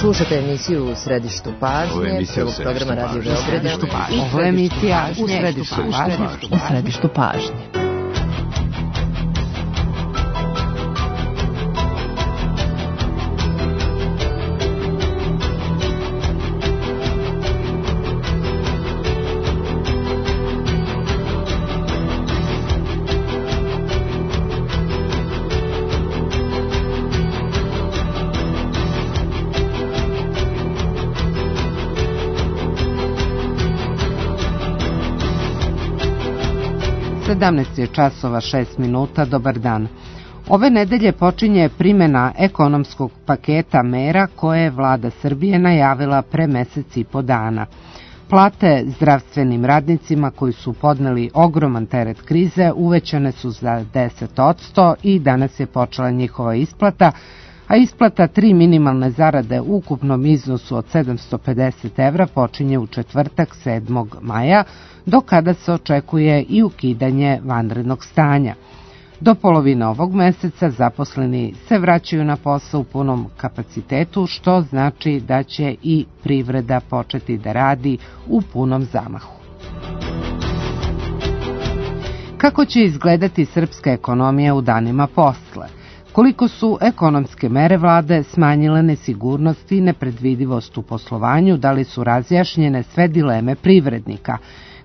Slušate emisiju U središtu pažnje, prvog programa Radio Beograda. Ovo je emisija U središtu pažnje. Je časova 6 minuta, dobar dan. Ove nedelje počinje primjena ekonomskog paketa mera koje je vlada Srbije najavila pre mesec i po dana. Plate zdravstvenim radnicima koji su podneli ogroman teret krize uvećane su za 10% i danas je počela njihova isplata, a isplata 3 minimalne zarade u ukupnom iznosu od 750 evra počinje u četvrtak 7. maja, do kada se očekuje i ukidanje vanrednog stanja. Do polovine ovog meseca zaposleni se vraćaju na posao u punom kapacitetu, što znači da će i privreda početi da radi u punom zamahu. Kako će izgledati srpska ekonomija u danima posle? Koliko su ekonomske mere vlade smanjile nesigurnost i nepredvidivost u poslovanju, da li su razjašnjene sve dileme privrednika?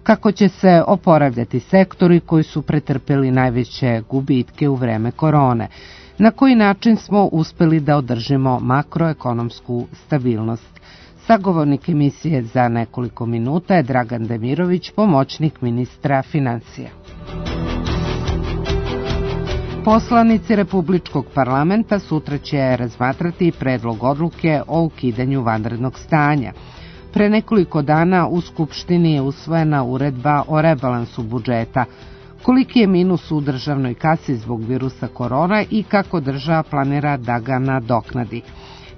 Kako će se oporavljati sektori koji su pretrpeli najveće gubitke u vreme korone? Na koji način smo uspeli da održimo makroekonomsku stabilnost? Sagovornik emisije za nekoliko minuta je Dragan Demirović, pomoćnik ministra financija. Poslanici Republičkog parlamenta sutra će razmatrati predlog odluke o ukidanju vanrednog stanja. Pre nekoliko dana u Skupštini je usvojena uredba o rebalansu budžeta. Koliki je minus u državnoj kasi zbog virusa korona i kako država planira da ga nadoknadi?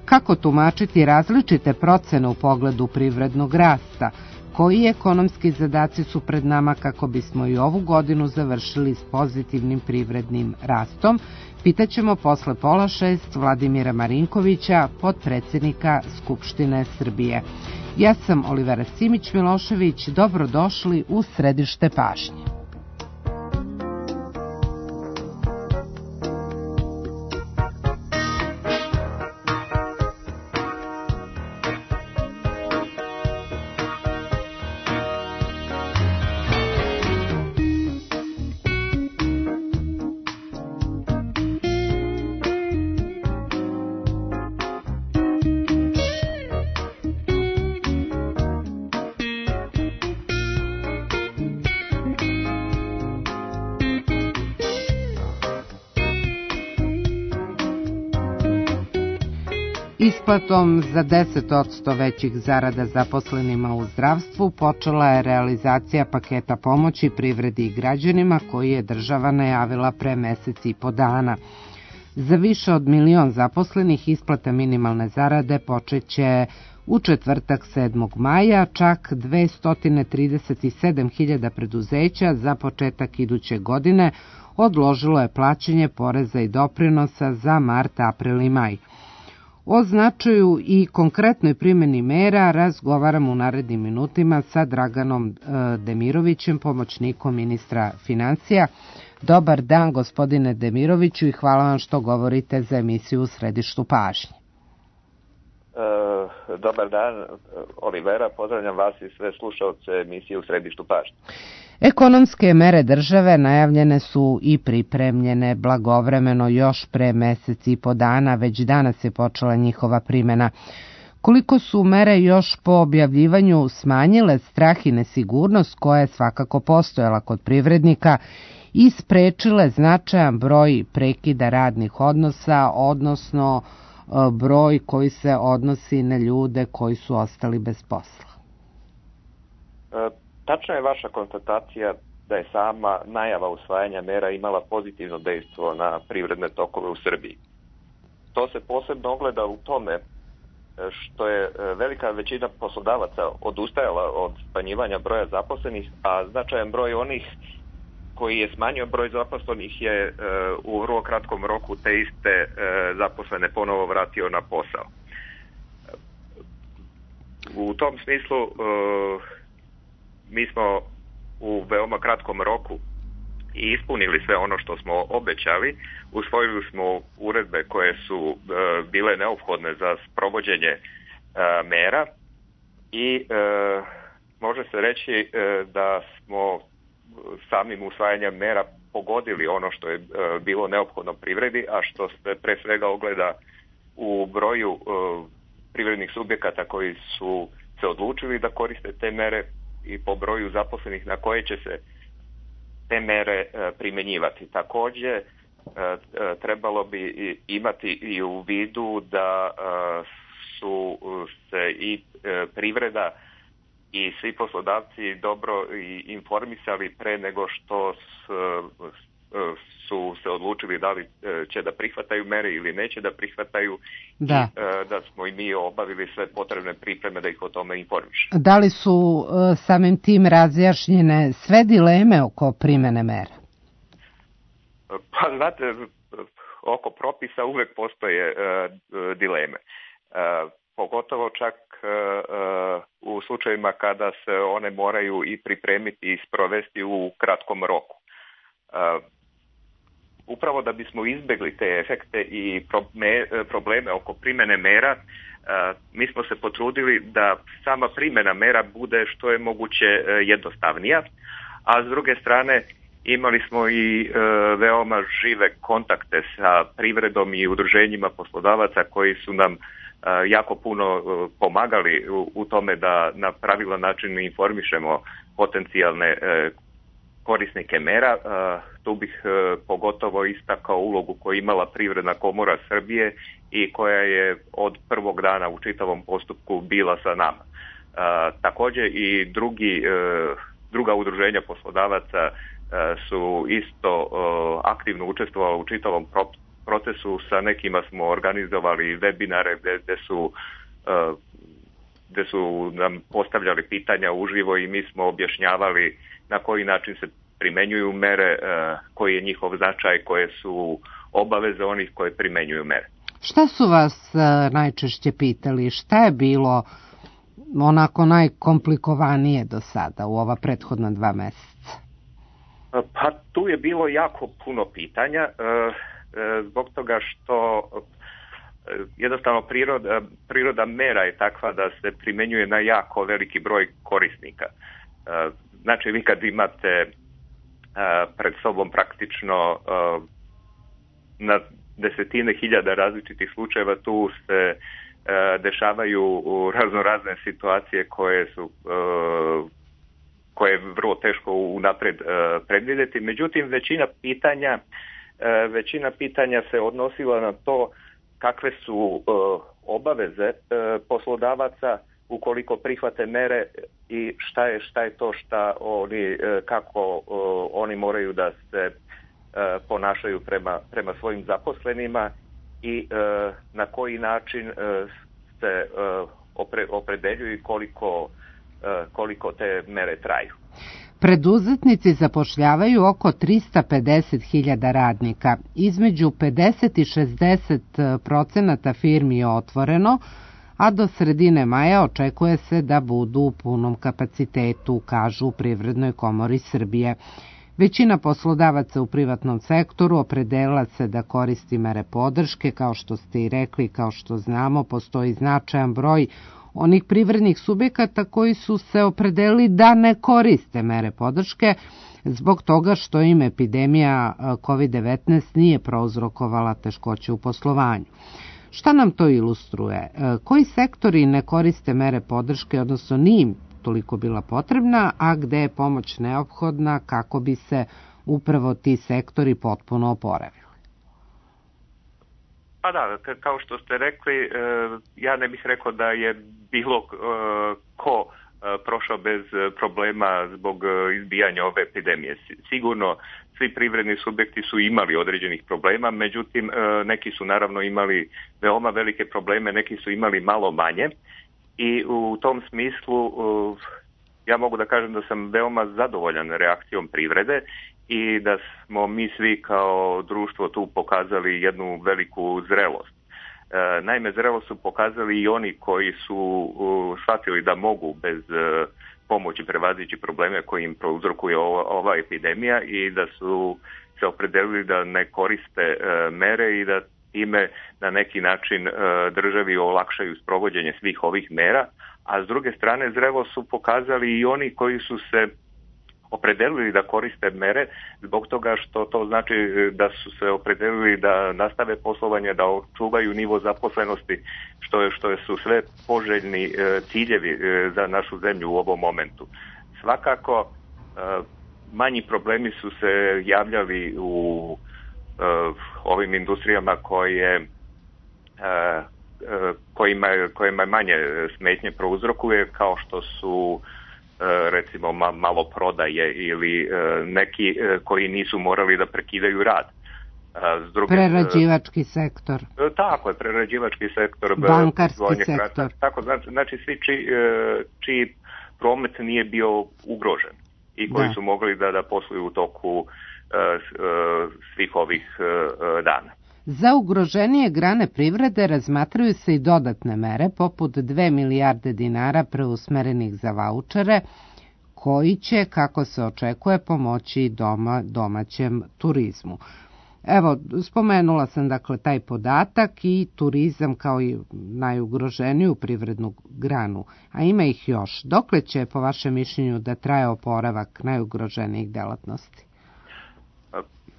Kako tumačiti različite procene u pogledu privrednog rasta? Koji ekonomski zadaci su pred nama kako bismo i ovu godinu završili s pozitivnim privrednim rastom? Pitaćemo posle 5:30 Vladimira Marinkovića, potpredsjednika Skupštine Srbije. Ja sam Olivera Simić-Milošević, dobrodošli u središte pažnje. Isplatom za 10% većih zarada zaposlenima u zdravstvu počela je realizacija paketa pomoći privredi i građanima koji je država najavila pre mesec i po dana. Za više od 1 milion zaposlenih isplata minimalne zarade počeće u četvrtak 7. maja, čak 237.000 preduzeća za početak iduće godine odložilo je plaćanje poreza i doprinosa za mart, april i maj. O značaju i konkretnoj primjeni mera razgovaramo u narednim minutima sa Draganom Demirovićem, pomoćnikom ministra financija. Dobar dan, gospodine Demiroviću, i hvala vam što govorite za emisiju U središtu pažnje. Dobar dan, Olivera, pozdravljam vas i sve slušalce emisije U središtu pažnje. Ekonomske mere države najavljene su i pripremljene blagovremeno još pre mesec i po dana, već danas je počela njihova primjena. Koliko su mere još po objavljivanju smanjile strah i nesigurnost koja je svakako postojala kod privrednika i sprečile značajan broj prekida radnih odnosa, odnosno broj koji se odnosi na ljude koji su ostali bez posla? Tačna je vaša konstatacija da je sama najava usvajanja mera imala pozitivno dejstvo na privredne tokove u Srbiji. To se posebno ogleda u tome što je velika većina poslodavaca odustajala od smanjivanja broja zaposlenih, a značajan broj onih koji je smanjio broj zaposlenih je u vrlo kratkom roku te iste zaposlene ponovo vratio na posao. U tom smislu mi smo u veoma kratkom roku i ispunili sve ono što smo obećali. Usvojili smo uredbe koje su bile neophodne za sprovođenje mera i može se reći da smo samim usvajanjem mera pogodili ono što je bilo neophodno privredi, a što se pre svega ogleda u broju privrednih subjekata koji su se odlučili da koriste te mere i po broju zaposlenih na koje će se te mere primjenjivati. Također trebalo bi imati i u vidu da su se i privreda i svi poslodavci dobro informisali pre nego što su se odlučili da li će da prihvataju mere ili neće da prihvataju, da. I da smo i mi obavili sve potrebne pripreme da ih o tome informiše. Da li su samim tim razjašnjene sve dileme oko primene mera? Pa znate, oko propisa uvek postoje dileme. Pogotovo čak u slučajevima kada se one moraju i pripremiti i sprovesti u kratkom roku. Upravo da bismo izbjegli te efekte i probleme oko primjene mera, mi smo se potrudili da sama primjena mera bude što je moguće jednostavnija, a s druge strane imali smo i veoma žive kontakte sa privredom i udruženjima poslodavaca koji su nam jako puno pomagali u tome da na pravilan način informišemo potencijalne korisnike mera. Tu bih pogotovo istakao ulogu koju imala Privredna komora Srbije i koja je od prvog dana u čitavom postupku bila sa nama. Također i druga udruženja poslodavaca su isto aktivno učestvovala u čitavom procesu. Sa nekima smo organizovali webinare gdje su nam postavljali pitanja uživo i mi smo objašnjavali na koji način se primjenjuju mere, koji je njihov značaj, koje su obaveze onih koje primjenjuju mere. Šta su vas najčešće pitali? Šta je bilo onako najkomplikovanije do sada u ova prethodna 2 mjeseca? Pa tu je bilo jako puno pitanja, zbog toga što jednostavno priroda mera je takva da se primjenjuje na jako veliki broj korisnika. Znači vi kad imate pred sobom praktično na desetine hiljada različitih slučajeva, tu se dešavaju raznorazne situacije koje je vrlo teško unaprijed predvidjeti. Međutim, većina pitanja se odnosila na to kakve su obaveze poslodavaca ukoliko prihvate mere i šta je to kako oni moraju da se ponašaju prema svojim zaposlenima i na koji način se opredeljuju i koliko te mere traju. Preduzetnici zapošljavaju oko 350.000 radnika. Između 50 i 60% firmi je otvoreno, a do sredine maja očekuje se da budu u punom kapacitetu, kažu u Privrednoj komori Srbije. Većina poslodavaca u privatnom sektoru opredelila se da koristi mere podrške, kao što ste i rekli, kao što znamo, postoji značajan broj onih privrednih subjekata koji su se opredelili da ne koriste mere podrške zbog toga što im epidemija COVID-19 nije prouzrokovala teškoće u poslovanju. Šta nam to ilustruje? Koji sektori ne koriste mere podrške, odnosno nije im toliko bila potrebna, a gde je pomoć neophodna kako bi se upravo ti sektori potpuno oporavili? Pa da, kao što ste rekli, ja ne bih rekao da je bilo ko prošao bez problema zbog izbijanja ove epidemije. Sigurno svi privredni subjekti su imali određenih problema, međutim neki su naravno imali veoma velike probleme, neki su imali malo manje i u tom smislu ja mogu da kažem da sam veoma zadovoljan reakcijom privrede i da smo mi svi kao društvo tu pokazali jednu veliku zrelost. Naime, zrelo su pokazali i oni koji su shvatili da mogu bez pomoći prevazići probleme koji im prouzrokuje ova epidemija i da su se opredelili da ne koriste mere i da time na neki način državi olakšaju sprovođenje svih ovih mera, a s druge strane zrelo su pokazali i oni koji su se opredelili da koriste mere zbog toga što to znači da su se opredelili da nastave poslovanje, da očuvaju nivo zaposlenosti, što su sve poželjni ciljevi za našu zemlju u ovom momentu. Svakako, manji problemi su se javljali u ovim industrijama kojima manje smetnje prouzrokuje, kao što su recimo maloprodaje ili neki koji nisu morali da prekidaju rad. Prerađivački sektor. Tako je, prerađivački sektor. Bankarski sektor. Tako, znači svi čiji promet nije bio ugrožen i koji su mogli da posluju u toku svih ovih dana. Za ugroženije grane privrede razmatraju se i dodatne mere, poput 2 milijarde dinara preusmerenih za vaučere, koji će, kako se očekuje, pomoći domaćem turizmu. Evo, spomenula sam dakle taj podatak i turizam kao i najugroženiju privrednu granu, a ima ih još. Dokle će, po vašem mišljenju, da traje oporavak najugroženijih delatnosti?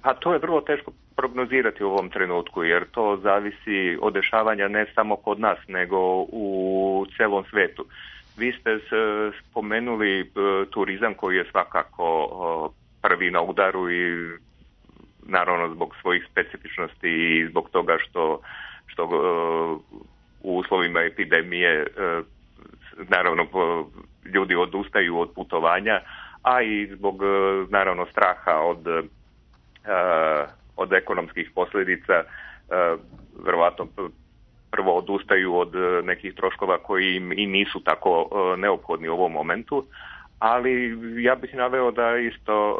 Pa to je vrlo teško prognozirati u ovom trenutku, jer to zavisi od dešavanja ne samo kod nas, nego u celom svetu. Vi ste spomenuli turizam koji je svakako prvi na udaru i naravno zbog svojih specifičnosti i zbog toga što u uslovima epidemije naravno ljudi odustaju od putovanja, a i zbog naravno straha od ekonomskih posljedica, verovatno prvo odustaju od nekih troškova koji im i nisu tako neophodni u ovom momentu, ali ja bih naveo da isto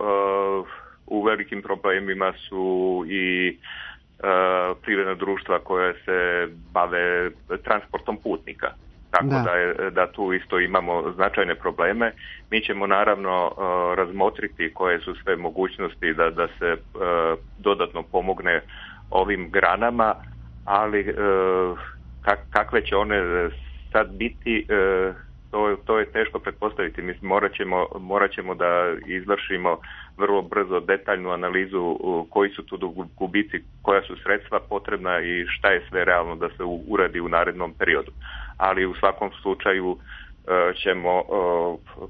u velikim problemima su i privredna društva koja se bave transportom putnika. Tako da tu isto imamo značajne probleme. Mi ćemo naravno razmotriti koje su sve mogućnosti da se dodatno pomogne ovim granama, ali kakve će one sad biti, to je teško pretpostaviti. Mislim, morat ćemo da izvršimo vrlo brzo detaljnu analizu koji su tu gubici, koja su sredstva potrebna i šta je sve realno da se uradi u narednom periodu. Ali u svakom slučaju ćemo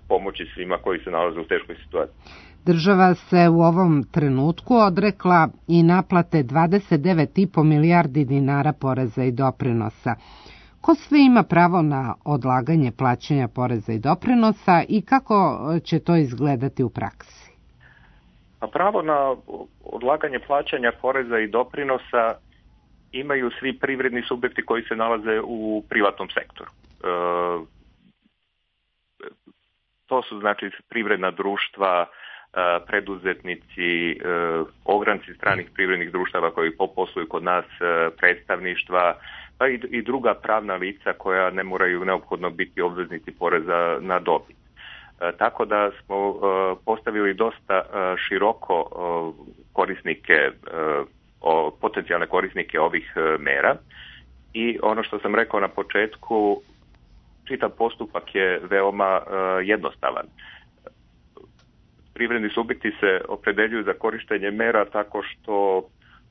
pomoći svima koji se nalaze u teškoj situaciji. Država se u ovom trenutku odrekla i naplate 29,5 milijardi dinara poreza i doprinosa. Ko sve ima pravo na odlaganje plaćanja poreza i doprinosa i kako će to izgledati u praksi? A pravo na odlaganje plaćanja poreza i doprinosa imaju svi privredni subjekti koji se nalaze u privatnom sektoru. To su znači privredna društva, preduzetnici, ogranci stranih privrednih društava koji posluju kod nas, predstavništva, pa i druga pravna lica koja ne moraju neophodno biti obveznici poreza na dobit. Tako da smo postavili dosta široko korisnike, potencijalne korisnike ovih mera i ono što sam rekao na početku, čitav postupak je veoma jednostavan. Privredni subjekti se opredeljuju za korištenje mera tako što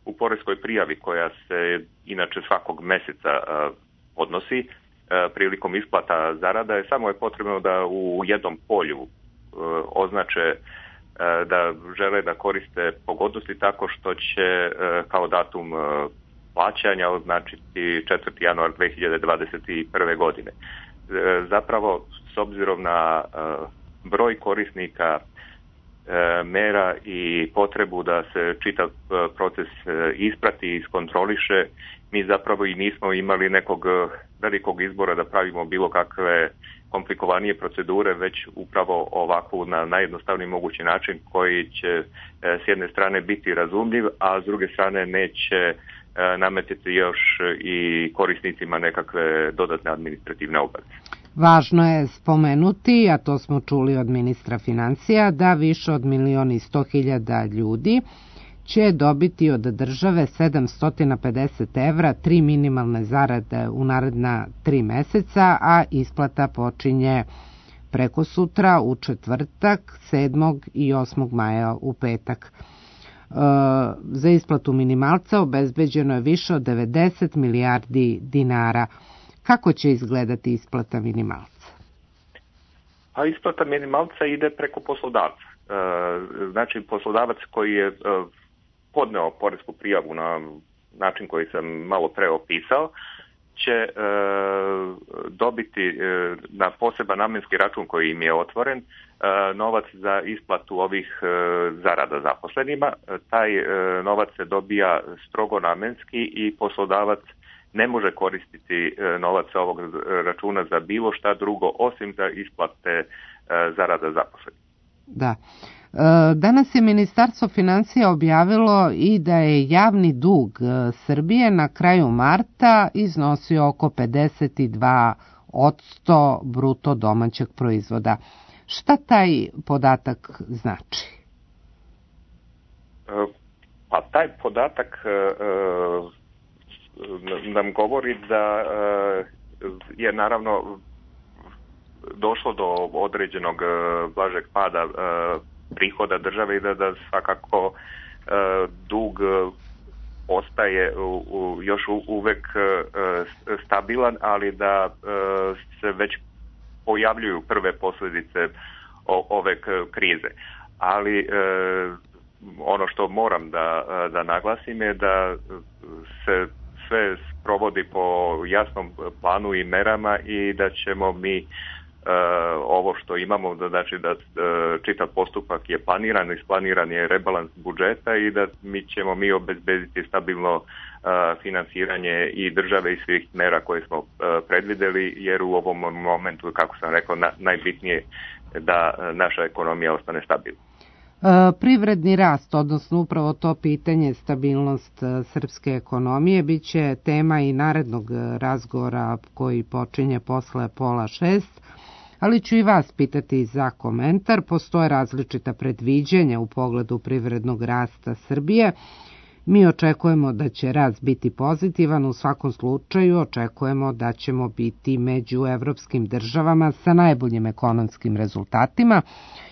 u poreskoj prijavi koja se inače svakog mjeseca podnosi prilikom isplata zarada samo je potrebno da u jednom polju označe da žele da koriste pogodnosti tako što će kao datum plaćanja označiti 4. januar 2021. godine. Zapravo, s obzirom na broj korisnika mera i potrebu da se čitav proces isprati i iskontroliše, mi zapravo i nismo imali nekog velikog izbora da pravimo bilo kakve komplikovanije procedure, već upravo ovakvu na najjednostavniji mogući način koji će s jedne strane biti razumljiv, a s druge strane neće nametiti još i korisnicima nekakve dodatne administrativne obaveze. Važno je spomenuti, a to smo čuli od ministra financija, da više od 1.100.000 ljudi će dobiti od države 750 evra, 3 minimalne zarade u naredna 3 meseca, a isplata počinje preko sutra u četvrtak, 7. i 8. maja u petak. Za isplatu minimalca obezbeđeno je više od 90 milijardi dinara. Kako će izgledati isplata minimalca? A isplata minimalca ide preko poslodavca. Znači, poslodavac koji je podneo poresku prijavu na način koji sam malo pre opisao, će dobiti na poseban namenski račun koji im je otvoren novac za isplatu ovih zarada zaposlenima. Taj novac se dobija strogo namenski i poslodavac ne može koristiti novac sa ovog računa za bilo šta drugo osim za isplate zarada zaposlenih. Da. Danas je Ministarstvo financija objavilo i da je javni dug Srbije na kraju marta iznosio oko 52% bruto domaćeg proizvoda. Šta taj podatak znači? Pa taj podatak nam govori da je naravno došlo do određenog blažeg pada prihoda države i da svakako dug ostaje još uvek stabilan, ali da se već pojavljuju prve posljedice ove krize. Ali ono što moram da naglasim je da se sve sprovodi po jasnom planu i merama i da ćemo mi ovo što imamo, znači da čitav postupak je planiran, isplaniran je rebalans budžeta i da ćemo mi obezbediti stabilno finansiranje i države i svih mera koje smo predvideli, jer u ovom momentu, kako sam rekao, najbitnije je da naša ekonomija ostane stabilna. Privredni rast, odnosno upravo to pitanje, stabilnost srpske ekonomije, bit će tema i narednog razgovora koji počinje posle 5:30, ali ću i vas pitati za komentar. Postoje različita predviđanja u pogledu privrednog rasta Srbije. Mi očekujemo da će rast biti pozitivan, u svakom slučaju očekujemo da ćemo biti među evropskim državama sa najboljim ekonomskim rezultatima,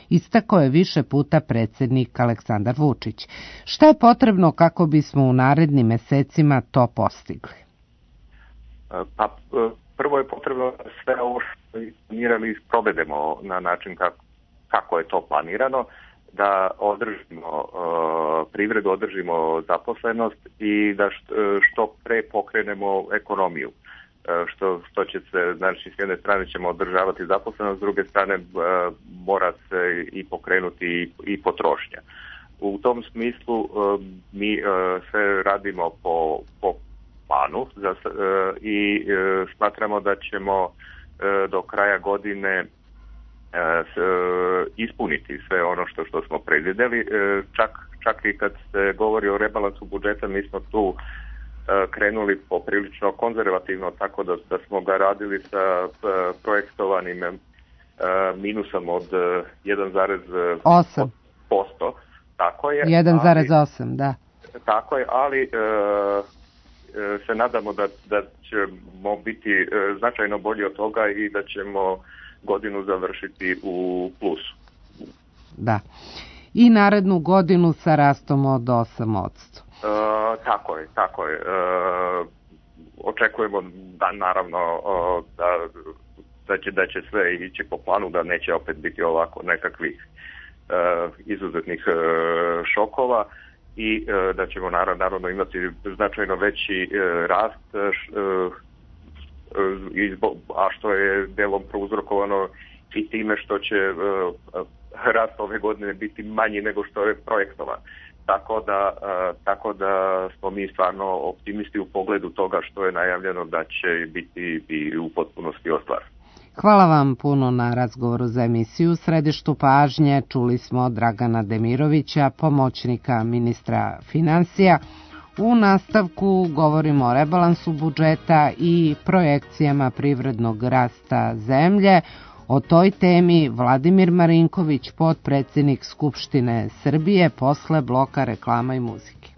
istakao je više puta predsjednik Aleksandar Vučić. Šta je potrebno kako bismo u narednim mesecima to postigli? Pa, prvo je potrebno sve ovo što planirali i sprovedemo na način kako je to planirano, da održimo privredu, održimo zaposlenost i da što pre pokrenemo ekonomiju. Što će se, znači, s jedne strane ćemo održavati zaposlenost, s druge strane mora se i pokrenuti i potrošnja. U tom smislu mi sve radimo po planu i smatramo da ćemo do kraja godine ispuniti sve ono što smo predvideli. Čak i kad se govori o rebalansu budžeta, mi smo tu krenuli poprilično konzervativno, tako da smo ga radili sa projektovanim minusom od 1,8%. Tako je. 1,8, da. Tako je, ali se nadamo da ćemo biti značajno bolji od toga i da ćemo godinu završiti u plusu. Da. I narednu godinu sa rastom od 8%. Tako je. Očekujemo da naravno da će sve ići po planu, da neće opet biti ovako nekakvih izuzetnih šokova i da ćemo naravno imati značajno veći rast, a što je delom prouzrokovano i time što će rast ove godine biti manji nego što je projektovan. Tako da smo mi stvarno optimisti u pogledu toga što je najavljeno da će biti i u potpunosti ostvareno. Hvala vam puno na razgovoru za emisiju. U središtu pažnje čuli smo Dragana Demirovića, pomoćnika ministra financija. U nastavku govorimo o rebalansu budžeta i projekcijama privrednog rasta zemlje. O toj temi Vladimir Marinković, potpredsednik Skupštine Srbije, posle bloka reklama i muzike.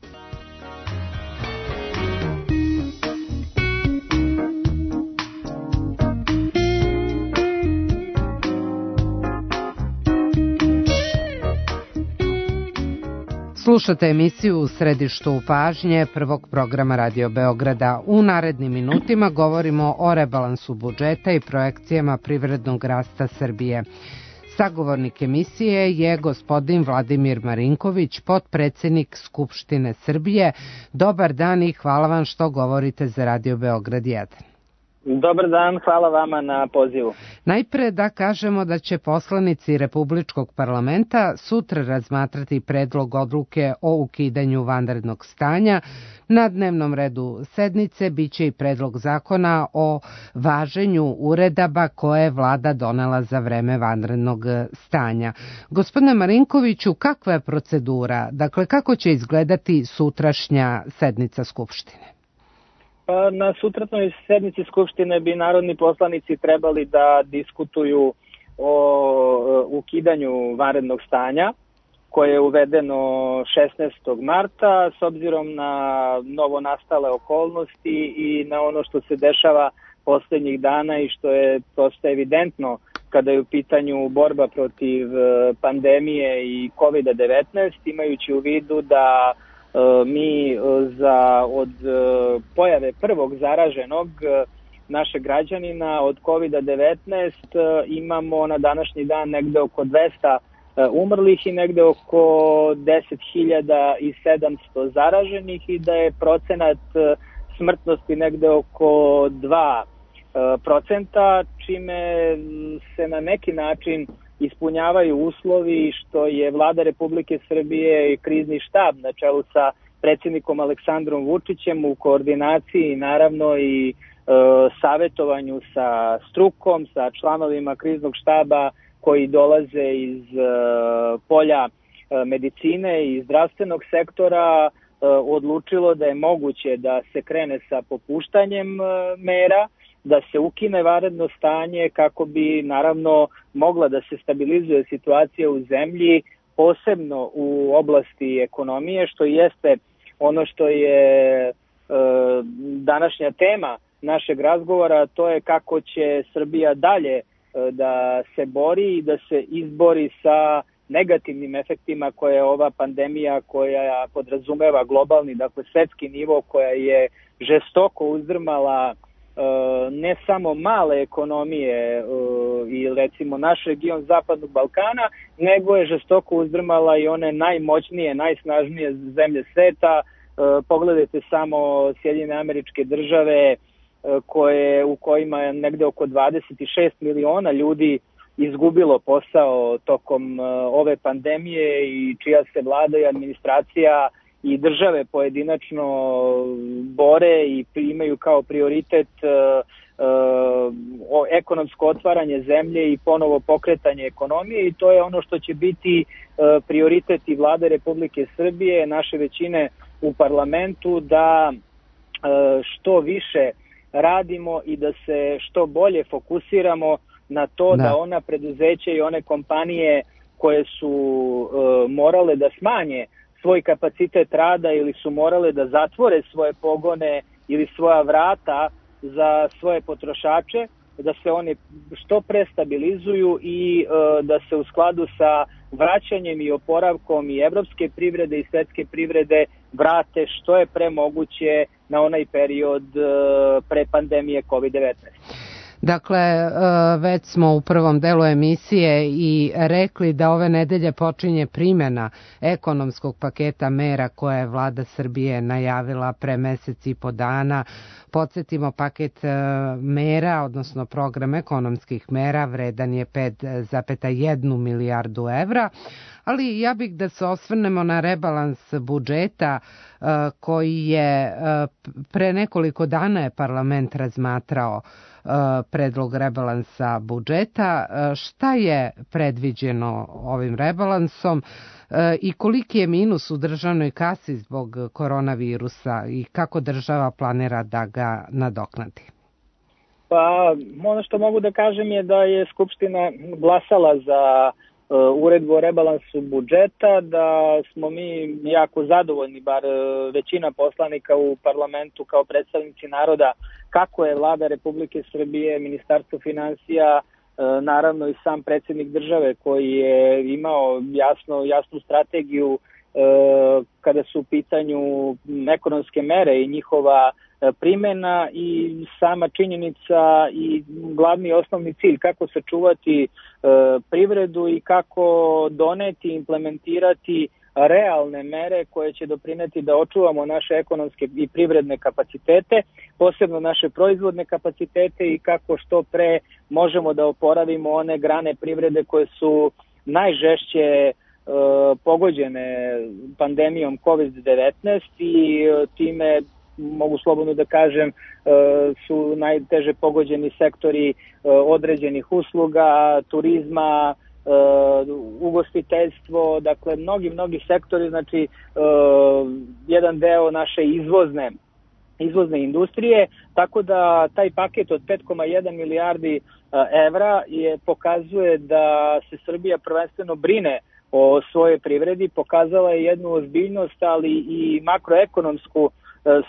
Slušate emisiju U središtu pažnje prvog programa Radio Beograda. U narednim minutima govorimo o rebalansu budžeta i projekcijama privrednog rasta Srbije. Sagovornik emisije je gospodin Vladimir Marinković, potpredsednik Skupštine Srbije. Dobar dan i hvala vam što govorite za Radio Beograd 1. Dobar dan, hvala vama na pozivu. Najpre da kažemo da će poslanici Republičkog parlamenta sutra razmatrati predlog odluke o ukidanju vanrednog stanja. Na dnevnom redu sednice biće i predlog zakona o važenju uredaba koje je vlada donela za vreme vanrednog stanja. Gospodine Marinkoviću, kakva je procedura? Dakle, kako će izgledati sutrašnja sednica Skupštine? Na sutrašnjoj sednici Skupštine bi narodni poslanici trebali da diskutuju o ukidanju vanrednog stanja koje je uvedeno 16. marta s obzirom na novo nastale okolnosti i na ono što se dešava poslednjih dana i što je prosto evidentno kada je u pitanju borba protiv pandemije i COVID-19, imajući u vidu da mi od pojave prvog zaraženog našeg građanina od COVID-19 imamo na današnji dan negde oko 200 umrlih i negde oko 10.700 zaraženih i da je procenat smrtnosti negde oko 2%, čime se na neki način ispunjavaju uslovi što je Vlada Republike Srbije i krizni štab na čelu sa predsjednikom Aleksandrom Vučićem u koordinaciji naravno i savetovanju sa strukom, sa članovima kriznog štaba koji dolaze iz polja medicine i zdravstvenog sektora odlučilo da je moguće da se krene sa popuštanjem mera, da se ukine vanredno stanje kako bi naravno mogla da se stabilizuje situacija u zemlji, posebno u oblasti ekonomije, što jeste ono što je današnja tema našeg razgovora, to je kako će Srbija dalje da se bori i da se izbori sa negativnim efektima koje je ova pandemija koja podrazumeva globalni, dakle svetski nivo, koja je žestoko uzdrmala ne samo male ekonomije i recimo naš region Zapadnog Balkana, nego je žestoko uzdrmala i one najmoćnije, najsnažnije zemlje sveta. Pogledajte samo Sjedinjene Američke Države u kojima je negde oko 26 miliona ljudi izgubilo posao tokom ove pandemije i čija se vlada i administracija i države pojedinačno bore i imaju kao prioritet ekonomsko otvaranje zemlje i ponovo pokretanje ekonomije i to je ono što će biti prioritet i Vlade Republike Srbije, naše većine u parlamentu, da što više radimo i da se što bolje fokusiramo na to da ona preduzeća i one kompanije koje su morale da smanje svoj kapacitet rada ili su morale da zatvore svoje pogone ili svoja vrata za svoje potrošače, da se oni što pre stabilizuju i da se u skladu sa vraćanjem i oporavkom i evropske privrede i svetske privrede vrate što je pre moguće na onaj period pre pandemije COVID-19. Dakle, već smo u prvom delu emisije i rekli da ove nedelje počinje primjena ekonomskog paketa mera koje je vlada Srbije najavila pre mesec i po dana. Podsjetimo, paket mera, odnosno program ekonomskih mera, vredan je 5,1 milijardu evra. Ali ja bih da se osvrnemo na rebalans budžeta koji je pre nekoliko dana je parlament razmatrao predlog rebalansa budžeta. Šta je predviđeno ovim rebalansom? i koliki je minus u državnoj kasi zbog koronavirusa i kako država planira da ga nadoknadi? Pa, ono što mogu da kažem je da je Skupština glasala za uredbu o rebalansu budžeta, da smo mi jako zadovoljni, bar većina poslanika u parlamentu kao predstavnici naroda, kako je Vlada Republike Srbije, Ministarstvo finansija, naravno i sam predsjednik države koji je imao jasnu strategiju kada su u pitanju ekonomske mere i njihova primjena i sama činjenica i glavni osnovni cilj kako sačuvati privredu i kako doneti, implementirati realne mere koje će doprineti da očuvamo naše ekonomske i privredne kapacitete, posebno naše proizvodne kapacitete i kako što pre možemo da oporavimo one grane privrede koje su najžešće pogođene pandemijom COVID-19 i time mogu slobodno da kažem su najteže pogođeni sektori određenih usluga, turizma, ugostiteljstvo, dakle mnogi sektori, znači jedan deo naše izvozne industrije, tako da taj paket od 5,1 milijardi evra pokazuje da se Srbija prvenstveno brine o svojoj privredi, pokazala je jednu ozbiljnost, ali i makroekonomsku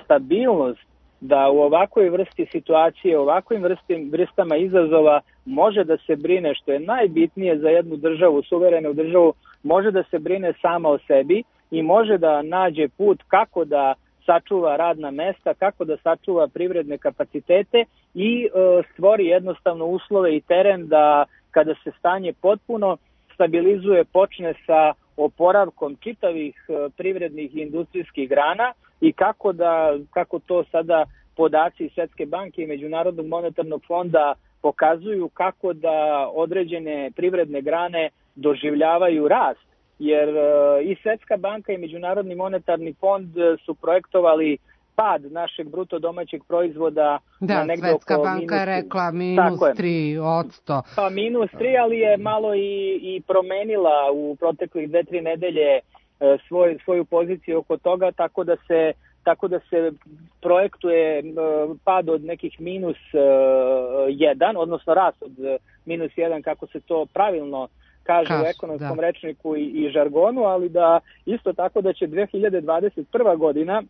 stabilnost da u ovakvoj vrsti situacije, u ovakvim vrstama izazova može da se brine, što je najbitnije za jednu državu, suverenu državu, može da se brine sama o sebi i može da nađe put kako da sačuva radna mesta, kako da sačuva privredne kapacitete i stvori jednostavno uslove i teren da kada se stanje potpuno stabilizuje, počne sa oporavkom čitavih privrednih i industrijskih grana i kako to sada podaci Svetske banke i Međunarodnog monetarnog fonda pokazuju, kako da određene privredne grane doživljavaju rast. Jer i Svetska banka i Međunarodni monetarni fond su projektovali pad našeg bruto domaćeg proizvoda na negde oko Svetska banka je rekla minus 3%. Pa minus 3, ali je malo i promenila u proteklih 2-3 nedelje svoju poziciju oko toga, tako da se projektuje pad od nekih minus 1, odnosno rast od minus 1, kako se to pravilno kaže u ekonomskom rečniku i žargonu, ali da isto tako da će 2021. godina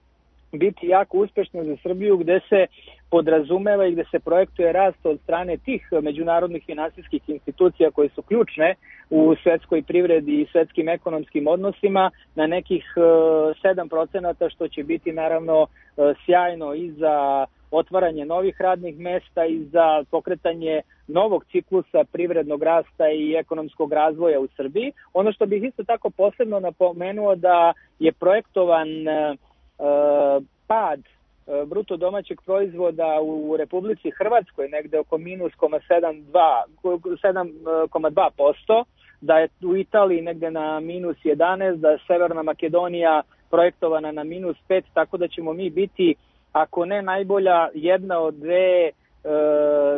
biti jako uspešna za Srbiju, gde se podrazumeva i gde se projektuje rast od strane tih međunarodnih finansijskih institucija koje su ključne u svetskoj privredi i svetskim ekonomskim odnosima na nekih 7%, što će biti naravno sjajno i za otvaranje novih radnih mesta i za pokretanje novog ciklusa privrednog rasta i ekonomskog razvoja u Srbiji. Ono što bih isto tako posebno napomenuo da je projektovan pad bruto domaćeg proizvoda u Republici Hrvatskoj negde oko minus 7,2%, da je u Italiji negde na minus 11%, da je Severna Makedonija projektovana na minus 5%, tako da ćemo mi biti, ako ne najbolja, jedna od dve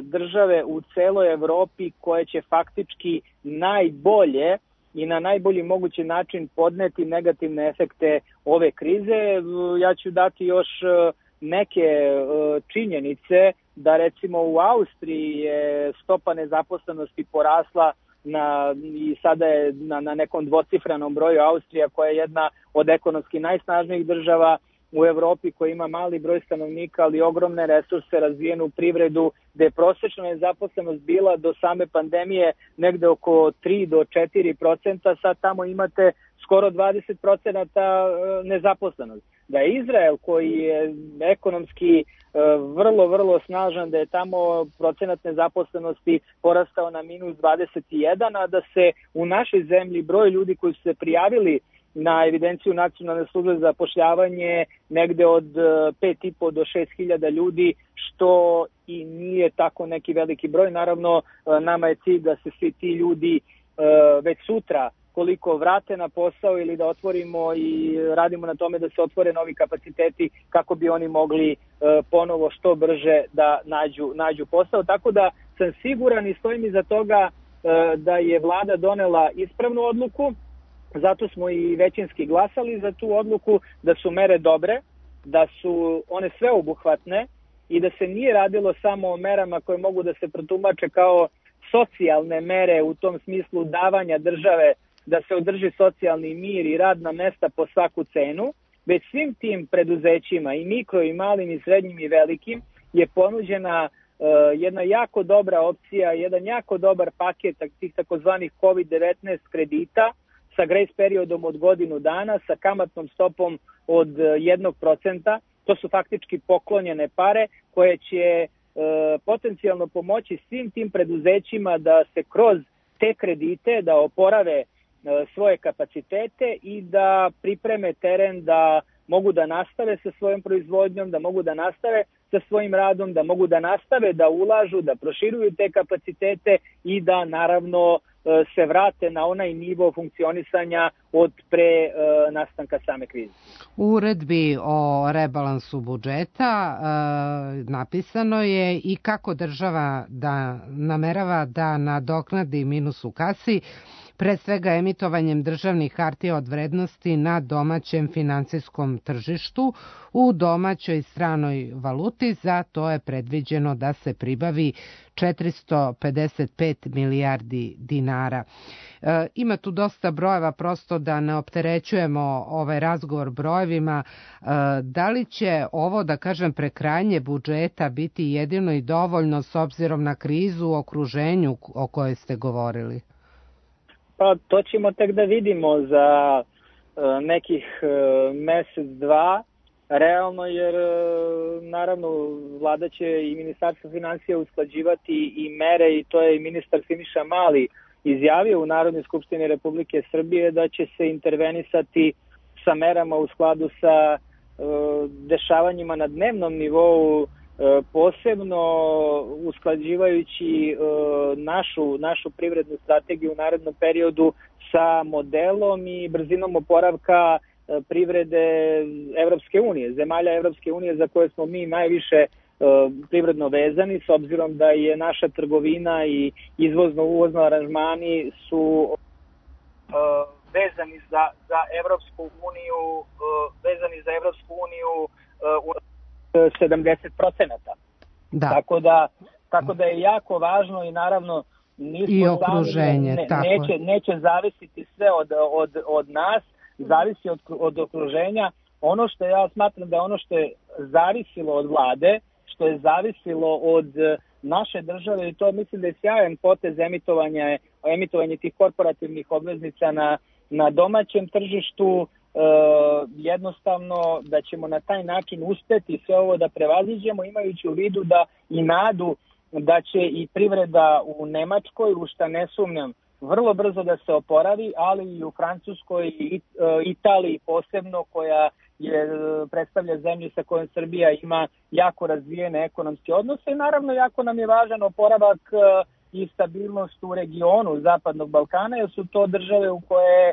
države u celoj Evropi koje će faktički najbolje i na najbolji mogući način podneti negativne efekte ove krize. Ja ću dati još neke činjenice da recimo u Austriji je stopa nezaposlenosti porasla i sada je na nekom dvocifrenom broju. Austrija, koja je jedna od ekonomski najsnažnijih država u Evropi, koja ima mali broj stanovnika, ali ogromne resurse, razvijenu privredu, gde je prosječna nezaposlenost bila do same pandemije negde oko 3 do 4%, sad tamo imate skoro 20% nezaposlenost. Da je Izrael, koji je ekonomski vrlo snažan, da je tamo procenat nezaposlenosti porastao na minus 21, a da se u našoj zemlji broj ljudi koji su se prijavili na evidenciju Nacionalne službe za zapošljavanje negde od 5,5 do 6.000 ljudi, što i nije tako neki veliki broj. Naravno, nama je cilj da se svi ti ljudi već sutra koliko vrate na posao ili da otvorimo i radimo na tome da se otvore novi kapaciteti kako bi oni mogli ponovo što brže da nađu posao. Tako da sam siguran i stojim iza toga da je vlada donela ispravnu odluku, Zato smo i većinski glasali za tu odluku, da su mere dobre, da su one sveobuhvatne i da se nije radilo samo o merama koje mogu da se protumače kao socijalne mere u tom smislu davanja države da se održi socijalni mir i radna mesta po svaku cenu, već svim tim preduzećima i mikro i malim i srednjim i velikim je ponuđena jedna jako dobra opcija, jedan jako dobar paket tih takozvanih COVID-19 kredita sa grace periodom od godinu dana, sa kamatnom stopom od 1%. To su faktički poklonjene pare koje će potencijalno pomoći svim tim preduzećima da se kroz te kredite da oporave svoje kapacitete i da pripreme teren da mogu da nastave sa svojom proizvodnjom, da mogu da nastave sa svojim radom, da mogu da nastave da ulažu, da proširuju te kapacitete i da naravno se vrate na onaj nivo funkcionisanja od pre nastanka same krize. U uredbi o rebalansu budžeta napisano je i kako država da namerava da nadoknadi minus u kasi, pre svega emitovanjem državnih hartija od vrednosti na domaćem finansijskom tržištu u domaćoj stranoj valuti. Za to je predviđeno da se pribavi 455 milijardi dinara. Ima tu dosta brojeva, prosto da ne opterećujemo ovaj razgovor brojevima. Da li će ovo, da kažem, prekrajanje budžeta biti jedino i dovoljno s obzirom na krizu u okruženju o kojoj ste govorili? Pa to ćemo tek da vidimo za nekih mesec, dva, realno, jer naravno vlada će i Ministarstvo finansija usklađivati i mere, i to je i ministar Siniša Mali izjavio u Narodnoj skupštini Republike Srbije da će se intervenisati sa merama u skladu sa dešavanjima na dnevnom nivou, posebno usklađivajući našu privrednu strategiju u narednom periodu sa modelom i brzinom oporavka privrede Evropske unije, zemalja Evropske unije za koje smo mi najviše privredno vezani, s obzirom da je naša trgovina i izvozno-uvozno aranžmani su vezani za Evropsku uniju, u 70%. Da. Tako da je jako važno i naravno i okruženje, neće zavisiti sve od nas, zavisi od okruženja. Ono što ja smatram da je ono što je zavisilo od vlade, što je zavisilo od naše države, i to mislim da je sjajan potez emitovanje tih korporativnih obveznica na domaćem tržištu, jednostavno da ćemo na taj način uspeti sve ovo da prevaziđemo, imajući u vidu da i nadu da će i privreda u Nemačkoj, u šta ne sumnjam, vrlo brzo da se oporavi, ali i u Francuskoj i Italiji posebno, koja predstavlja zemlju sa kojom Srbija ima jako razvijene ekonomske odnose, i naravno jako nam je važan oporavak i stabilnost u regionu Zapadnog Balkana, jer su to države u koje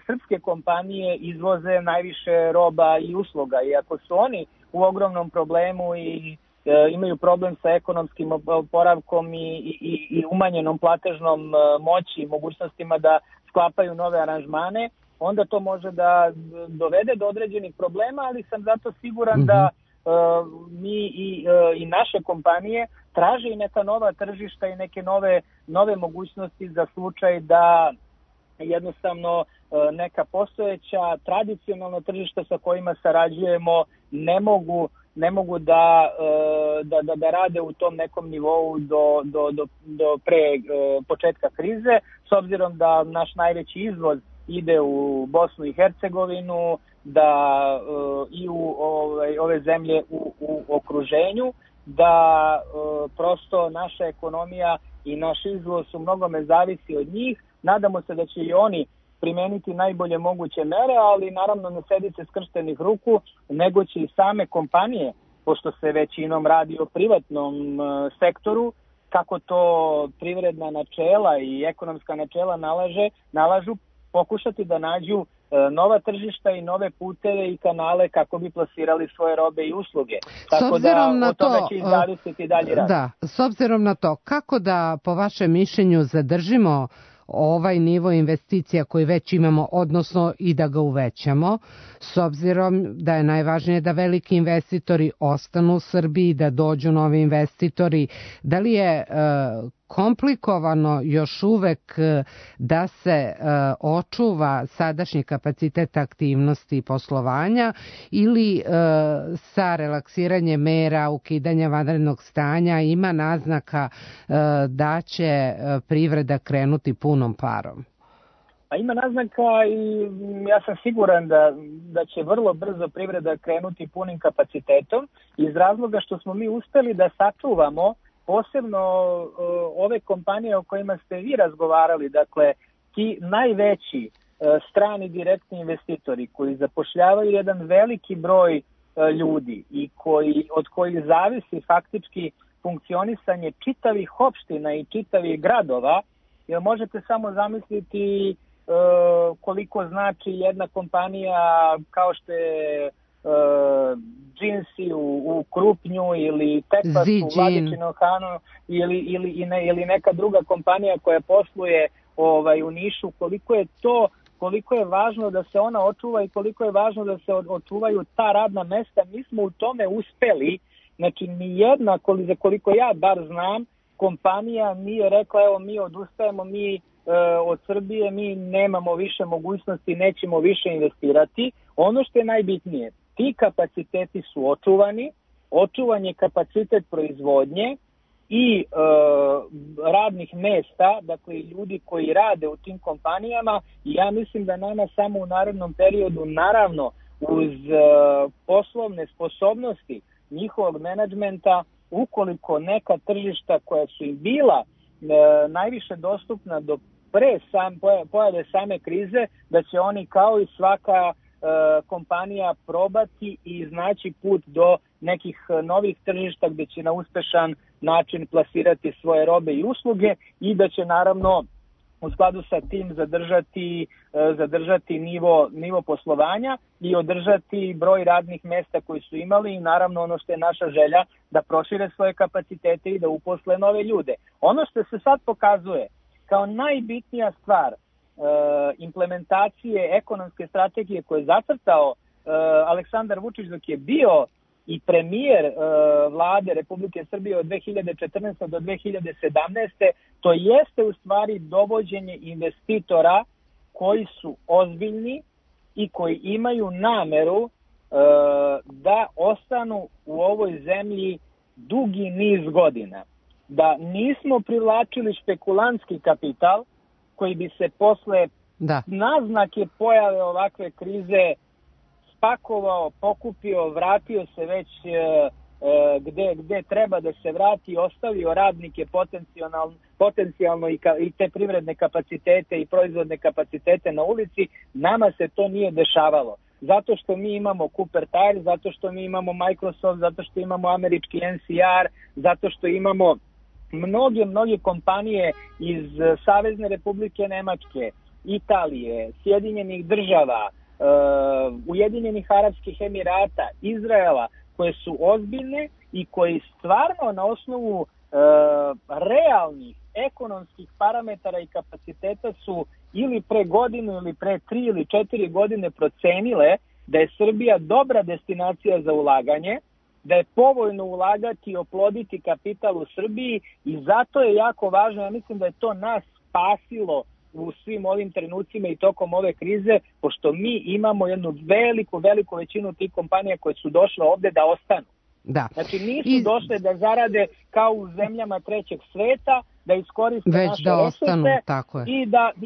srpske kompanije izvoze najviše roba i usluga, i ako su oni u ogromnom problemu i imaju problem sa ekonomskim oporavkom i umanjenom platežnom moći i mogućnostima da sklapaju nove aranžmane, onda to može da dovede do određenih problema, ali sam zato siguran da mi i naše kompanije traže i neka nova tržišta i neke nove mogućnosti za slučaj da jednostavno neka postojeća tradicionalna tržišta sa kojima sarađujemo ne mogu da rade u tom nekom nivou do pre početka krize, s obzirom da naš najveći izvoz ide u Bosnu i Hercegovinu, da i u ove zemlje u okruženju, da prosto naša ekonomija i naš izvoz u mnogome zavisi od njih. Nadamo se da će i oni primeniti najbolje moguće mere, ali naravno ne sedite skrštenih ruku, nego će i same kompanije, pošto se većinom radi o privatnom sektoru, kako to privredna načela i ekonomska načela nalažu, pokušati da nađu nova tržišta i nove puteve i kanale kako bi plasirali svoje robe i usluge. Tako da od toga će zavisiti dalje rad. Da, s obzirom na to, kako da po vašem mišljenju zadržimo ovaj nivo investicija koji već imamo, odnosno i da ga uvećamo, s obzirom da je najvažnije da veliki investitori ostanu u Srbiji, da dođu novi investitori. Da li je komplikovano još uvek da se očuva sadašnji kapacitet aktivnosti i poslovanja ili sa relaksiranjem mera, ukidanja vanrednog stanja ima naznaka da će privreda krenuti punom parom? A ima naznaka i ja sam siguran da će vrlo brzo privreda krenuti punim kapacitetom iz razloga što smo mi uspeli da sačuvamo posebno ove kompanije o kojima ste vi razgovarali, dakle ti najveći strani direktni investitori koji zapošljavaju jedan veliki broj ljudi i od kojih zavisi faktički funkcionisanje čitavih opština i čitavih gradova, jer možete samo zamisliti koliko znači jedna kompanija kao što je Džinsi u Krupnju ili Tekvas u Vladičinom Hanu ili neka druga kompanija koja posluje u Nišu, koliko je važno da se ona očuva i koliko je važno da se očuvaju ta radna mesta. Mi smo u tome uspeli, znači nijedna, za koliko ja bar znam, kompanija nije rekla evo mi odustajemo, od Srbije, mi nemamo više mogućnosti, nećemo više investirati. Ono što je najbitnije, ti kapaciteti su očuvani, očuvan je kapacitet proizvodnje i radnih mesta, dakle ljudi koji rade u tim kompanijama, i ja mislim da nama samo u narednom periodu, naravno uz poslovne sposobnosti njihovog menadžmenta, ukoliko neka tržišta koja su im bila najviše dostupna do pre pojave same krize, da će oni kao i svaka kompanija probati i iznaći put do nekih novih tržišta gde će na uspešan način plasirati svoje robe i usluge i da će naravno u skladu sa tim zadržati nivo poslovanja i održati broj radnih mesta koji su imali i naravno ono što je naša želja da prošire svoje kapacitete i da uposle nove ljude. Ono što se sad pokazuje kao najbitnija stvar implementacije ekonomske strategije koje je zacrtao Aleksandar Vučić dok je bio i premijer vlade Republike Srbije od 2014. do 2017. to jeste u stvari dovođenje investitora koji su ozbiljni i koji imaju nameru da ostanu u ovoj zemlji dugi niz godina. Da nismo privlačili špekulantski kapital koji bi se posle naznake pojave ovakve krize spakovao, pokupio, vratio se već gde treba da se vrati, ostavio radnike potencijalno i te privredne kapacitete i proizvodne kapacitete na ulici. Nama se to nije dešavalo. Zato što mi imamo Cooper Tire, zato što mi imamo Microsoft, zato što imamo američki NCR, zato što imamo mnoge kompanije iz Savezne Republike Nemačke, Italije, Sjedinjenih država, Ujedinjenih Arapskih Emirata, Izraela, koje su ozbiljne i koji stvarno na osnovu realnih ekonomskih parametara i kapaciteta su ili pre godinu ili pre 3 ili 4 godine procenile da je Srbija dobra destinacija za ulaganje, da je povoljno ulagati i oploditi kapital u Srbiji i zato je jako važno, ja mislim da je to nas spasilo u svim ovim trenucima i tokom ove krize, pošto mi imamo jednu veliku većinu tih kompanija koje su došle ovde da ostanu. Da. Znači nisu došle da zarade kao u zemljama trećeg sveta, da iskoriste naše resurse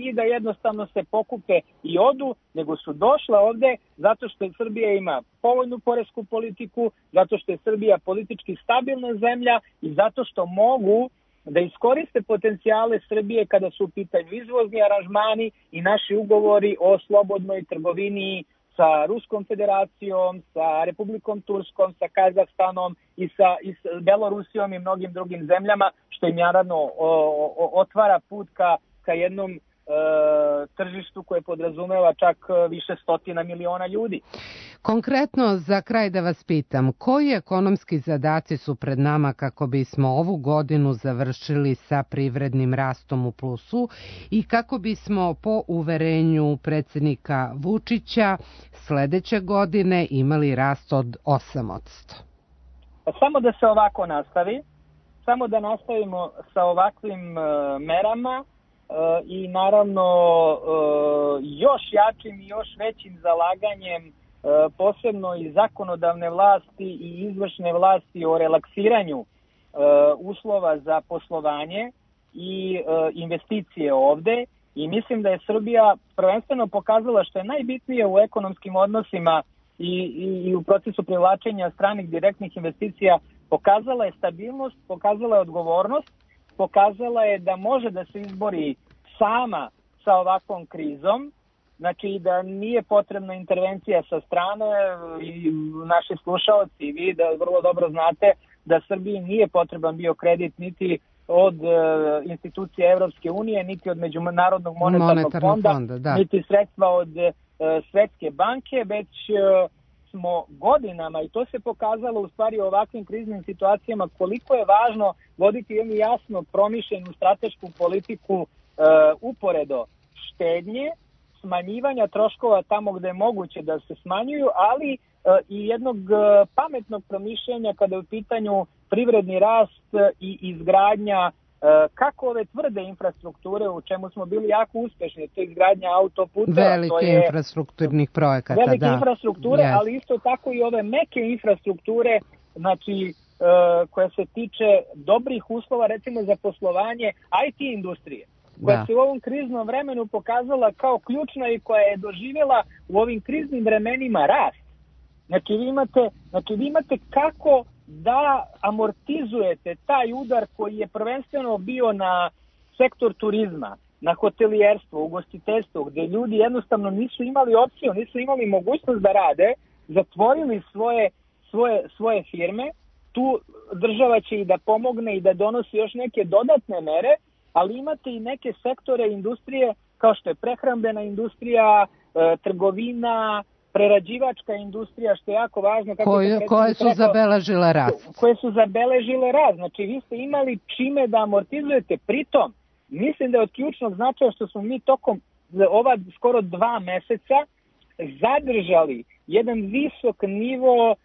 i da jednostavno se pokupe i odu, nego su došle ovde zato što Srbija ima povoljnu poresku politiku, zato što je Srbija politički stabilna zemlja i zato što mogu da iskoriste potencijale Srbije kada su u pitanju izvozni aranžmani i naši ugovori o slobodnoj trgovini sa Ruskom federacijom, sa Republikom Turskom, sa Kazahstanom i sa Belorusijom i mnogim drugim zemljama, što im naravno otvara put ka jednom tržištu koje podrazumeva čak više stotina miliona ljudi. Konkretno, za kraj da vas pitam, koji ekonomski zadaci su pred nama kako bismo ovu godinu završili sa privrednim rastom u plusu i kako bismo po uverenju predsjednika Vučića sledeće godine imali rast od 8%? Samo da se ovako nastavi, samo da nastavimo sa ovakvim merama i naravno još jačim i još većim zalaganjem posebno i zakonodavne vlasti i izvršne vlasti o relaksiranju uslova za poslovanje i investicije ovde. I mislim da je Srbija prvenstveno pokazala što je najbitnije u ekonomskim odnosima i u procesu privlačenja stranih direktnih investicija, pokazala je stabilnost, pokazala je odgovornost, pokazala je da može da se izbori sama sa ovakvom krizom, znači da nije potrebna intervencija sa strane i naši slušaoci i vi da vrlo dobro znate da Srbiji nije potreban bio kredit niti od institucije Evropske unije, niti od Međunarodnog monetarnog fonda, niti sredstva od Svetske banke, već smo godinama, i to se pokazalo u stvari u ovakvim kriznim situacijama, koliko je važno voditi jednu jasno promišljenu stratešku politiku uporedo štednje, smanjivanja troškova tamo gde je moguće da se smanjuju, ali i jednog pametnog promišljanja kada je u pitanju privredni rast i izgradnja kako ove tvrde infrastrukture, u čemu smo bili jako uspešni, to je izgradnja autoputa. Velike infrastrukturnih projekata, velike infrastrukture, ali isto tako i ove meke infrastrukture, znači koja se tiče dobrih uslova, recimo za poslovanje IT industrije, koja se u ovom kriznom vremenu pokazala kao ključna i koja je doživjela u ovim kriznim vremenima rast. Znači vi imate kako da amortizujete taj udar koji je prvenstveno bio na sektor turizma, na hotelijerstvo, ugostiteljstvo, gde ljudi jednostavno nisu imali opciju, nisu imali mogućnost da rade, zatvorili svoje firme. Tu država će i da pomogne i da donosi još neke dodatne mere, ali imate i neke sektore industrije kao što je prehrambena industrija, trgovina, prerađivačka industrija, što je jako važno. Koje su zabeležile rast. Koje su zabeležile rast. Znači vi ste imali čime da amortizujete. Pritom, mislim da je od ključnog značaja što smo mi tokom ova skoro 2 meseca zadržali jedan visok nivo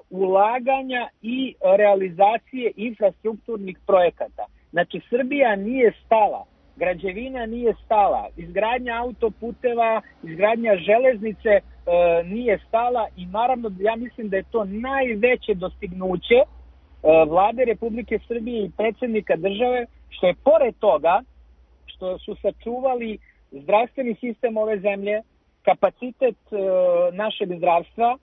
ulaganja i realizacije infrastrukturnih projekata. Znači Srbija nije stala, građevina nije stala, izgradnja autoputeva, izgradnja železnice nije stala i naravno ja mislim da je to najveće dostignuće Vlade Republike Srbije i predsjednika države, što je pored toga što su sačuvali zdravstveni sistem ove zemlje, kapacitet našeg zdravstva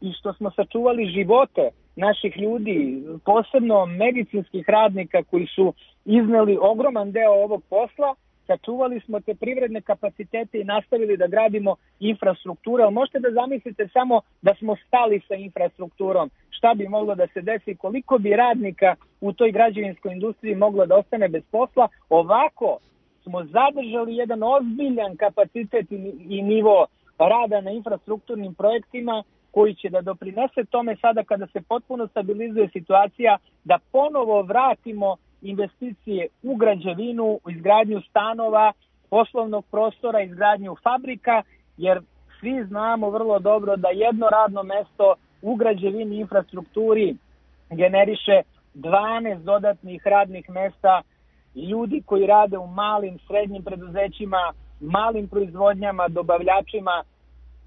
i što smo sačuvali živote naših ljudi, posebno medicinskih radnika koji su izneli ogroman deo ovog posla, sačuvali smo te privredne kapacitete i nastavili da gradimo infrastrukturu. Ali možete da zamislite samo da smo stali sa infrastrukturom, šta bi moglo da se desi, koliko bi radnika u toj građevinskoj industriji moglo da ostane bez posla. Ovako smo zadržali jedan ozbiljan kapacitet i nivo rada na infrastrukturnim projektima koji će da doprinese tome sada kada se potpuno stabilizuje situacija, da ponovo vratimo investicije u građevinu, u izgradnju stanova, poslovnog prostora, izgradnju fabrika, jer svi znamo vrlo dobro da jedno radno mesto u građevini i infrastrukturi generiše 12 dodatnih radnih mesta, ljudi koji rade u malim, srednjim preduzećima, malim proizvodnjama, dobavljačima.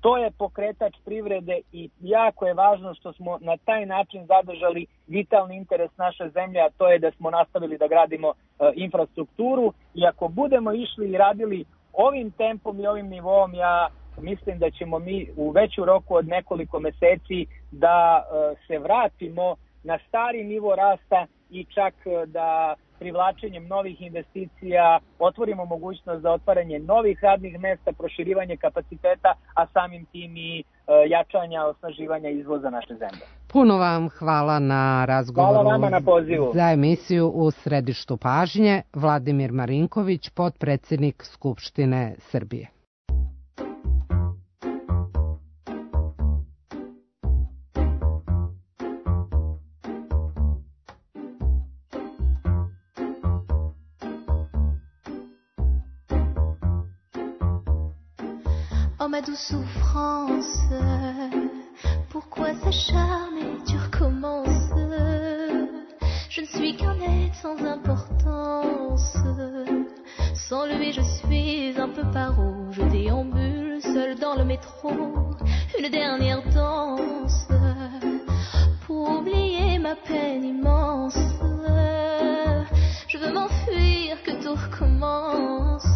To je pokretač privrede i jako je važno što smo na taj način zadržali vitalni interes naše zemlje, a to je da smo nastavili da gradimo infrastrukturu. I ako budemo išli i radili ovim tempom i ovim nivom, ja mislim da ćemo mi u veću roku od nekoliko meseci da se vratimo na stari nivo rasta i čak da privlačenjem novih investicija otvorimo mogućnost za otvaranje novih radnih mesta, proširivanje kapaciteta, a samim tim i jačanja, osnaživanja izvoza naše zemlje. Puno vam hvala na razgovoru. Hvala vama na pozivu. Za emisiju U središtu pažnje, Vladimir Marinković, potpredsednik Skupštine Srbije. Oh ma douce souffrance, pourquoi s'acharner, tu recommences. Je ne suis qu'un être sans importance. Sans lui je suis un peu paro. Je déambule seul dans le métro. Une dernière danse pour oublier ma peine immense. Je veux m'enfuir, que tout recommence.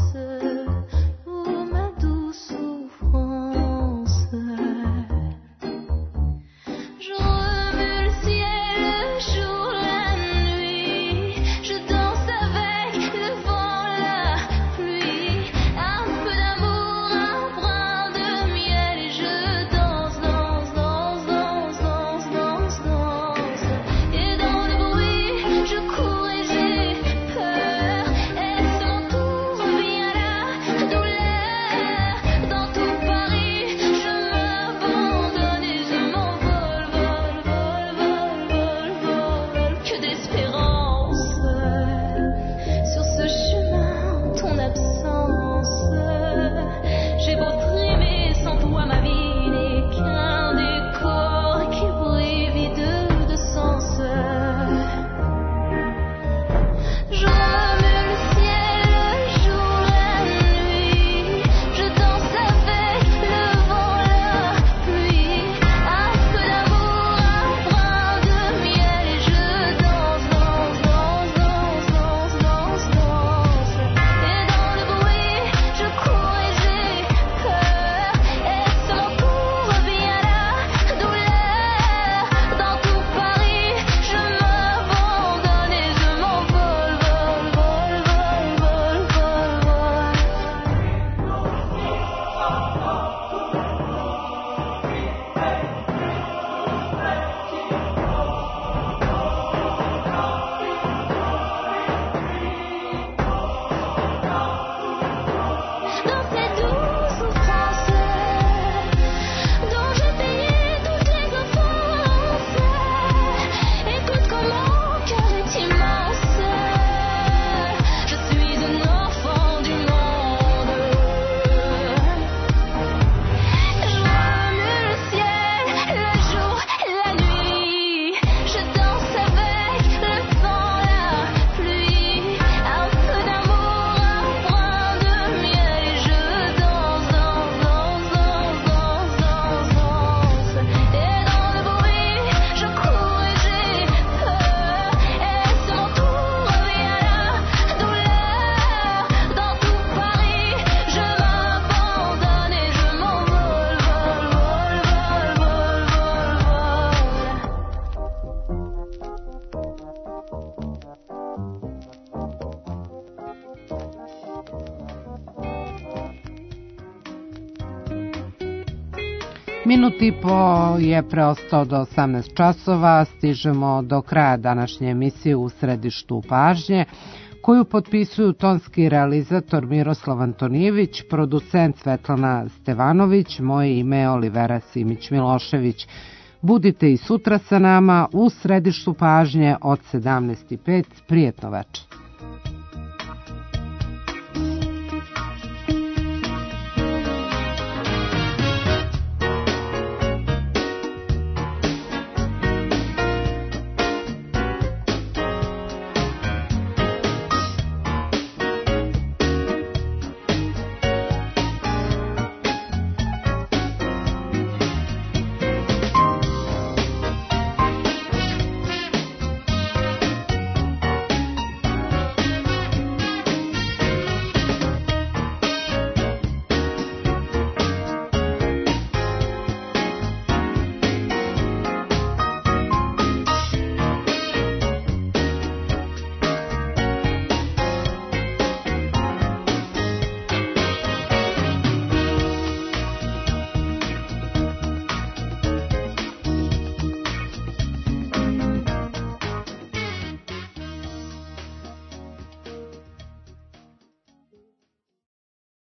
Minut i po je preostao do 18 časova, stižemo do kraja današnje emisije U središtu pažnje, koju potpisuju tonski realizator Miroslav Antonijević, producent Svetlana Stevanović, moje ime je Olivera Simić-Milošević. Budite i sutra sa nama u središtu pažnje od 17:05. Prijetno večer.